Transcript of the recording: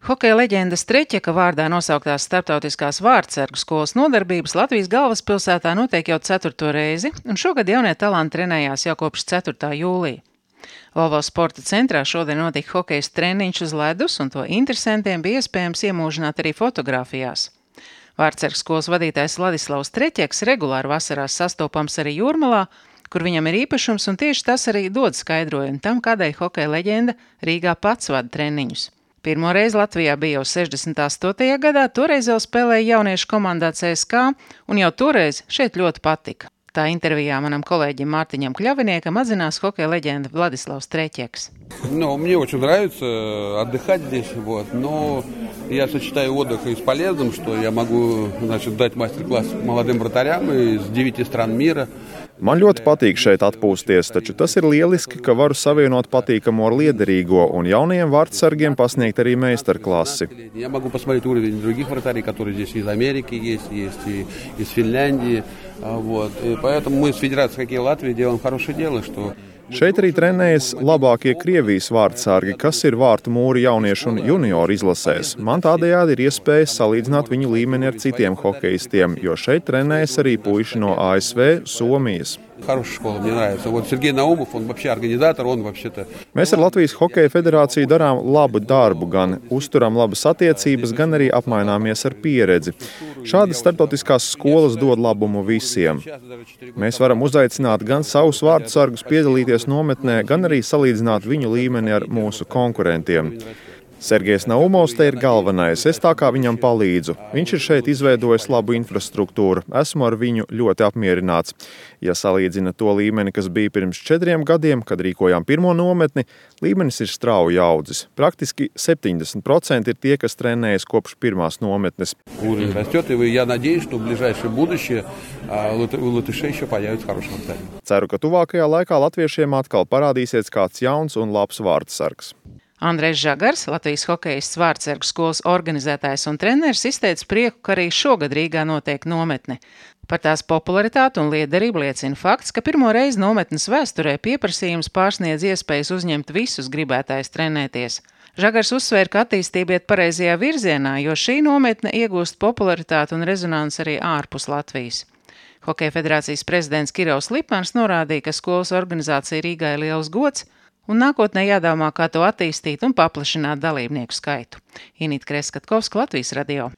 Hokeja leģendas Treķeka vārdā nosauktās starptautiskās vārdsargu skolas nodarbības Latvijas galvaspilsētā notiek jau 4. reizi, un šogad jaunie talanti trenējās jau kopš 4. jūlija. Volvo sporta centrā šodien notika hokejas treniņš uz ledus, un to interesantiem bija iespējams iemūžināt arī fotografijās. Vārdsargu skolas vadītājs Ladislavs Treķeks regulāri vasarās sastopams arī Jūrmalā, kur viņam ir īpašums, un tieši tas arī dod skaidrojumu tam, kādēļ hokeja leģenda Rīgā pats vada treniņus. Pirmo reizi Latvijā bija jau 68. gadā, toreiz vēl spēlēja jauniešu komandā CSK, un jau toreiz šeit ļoti patika. Tā intervijā manam kolēģim Mārtiņam Kļaviniekam atzinās hokeja leģenda Vladislavs Treķeks. Мне очень нравится отдыхать здесь, но я сочетаю отдых и с полезным, что я могу, дать мастер-класс молодым вратарям из 9 стран мира. Man ļoti patīk šeit atpūsties, taču tas ir lieliski, ka varu savienot patīkamo ar liederīgo un jaunajiem vārdsargiem pasniegt arī meistarklasi. Я могу посмотреть уровень других вратарей, которые здесь из Америки есть и из Финляндии. И поэтому мы с Федерацией хоккея Латвии делаем хорошее дело, что... Šeit arī trenējas labākie Krievijas vārdsargi, kas ir vārtu mūri jauniešu un junioru izlasēs. Man tādējādi ir iespēja salīdzināt viņu līmeni ar citiem hokeistiem, jo šeit trenējas arī puiši no ASV, Somijas. Mēs ar Latvijas Hokeja federāciju darām labu darbu, gan uzturam labas attiecības, gan arī apmaināmies ar pieredzi. Šādas starptautiskās skolas dod labumu visiem. Mēs varam uzaicināt gan savus vārdsargus piedalīties nometnē, gan arī salīdzināt viņu līmeni ar mūsu konkurentiem. Sergejs Naumovs te ir galvenais, es tā kā viņam palīdzu. Viņš ir šeit izveidojis labu infrastruktūru, esmu ar viņu ļoti apmierināts. Ja salīdzina to līmeni, kas bija pirms 4 gadiem, kad rīkojām pirmo nometni, līmenis ir strauji audzis. Praktiski 70% ir tie, kas trenējas kopš pirmās nometnes. Ceru, ka tuvākajā laikā latviešiem atkal parādīsies kāds jauns un labs vārdsargs. Andrejs Žagars, Latvijas hokejists vārdsargu skolas organizētājs un treneris, izteica prieku, ka arī šogad Rīgā notiek nometne. Par tās popularitāti un liederību liecina fakts, ka pirmo reizi nometnes vēsturē pieprasījums pārsniedz iespējas uzņemt visus gribētājus trenēties. Žagars uzsvēra, ka attīstība iet pareizajā virzienā, jo šī nometne iegūst popularitāti un rezonanci arī ārpus Latvijas. Hokeja federācijas prezidents Kirovs Lipmans norādīja, ka skolas organizācija Rīgā ir liels gods, un nākotnē jādomā, kā to attīstīt un paplašināt dalībnieku skaitu. Inīta Kreskatkovska, Latvijas radio.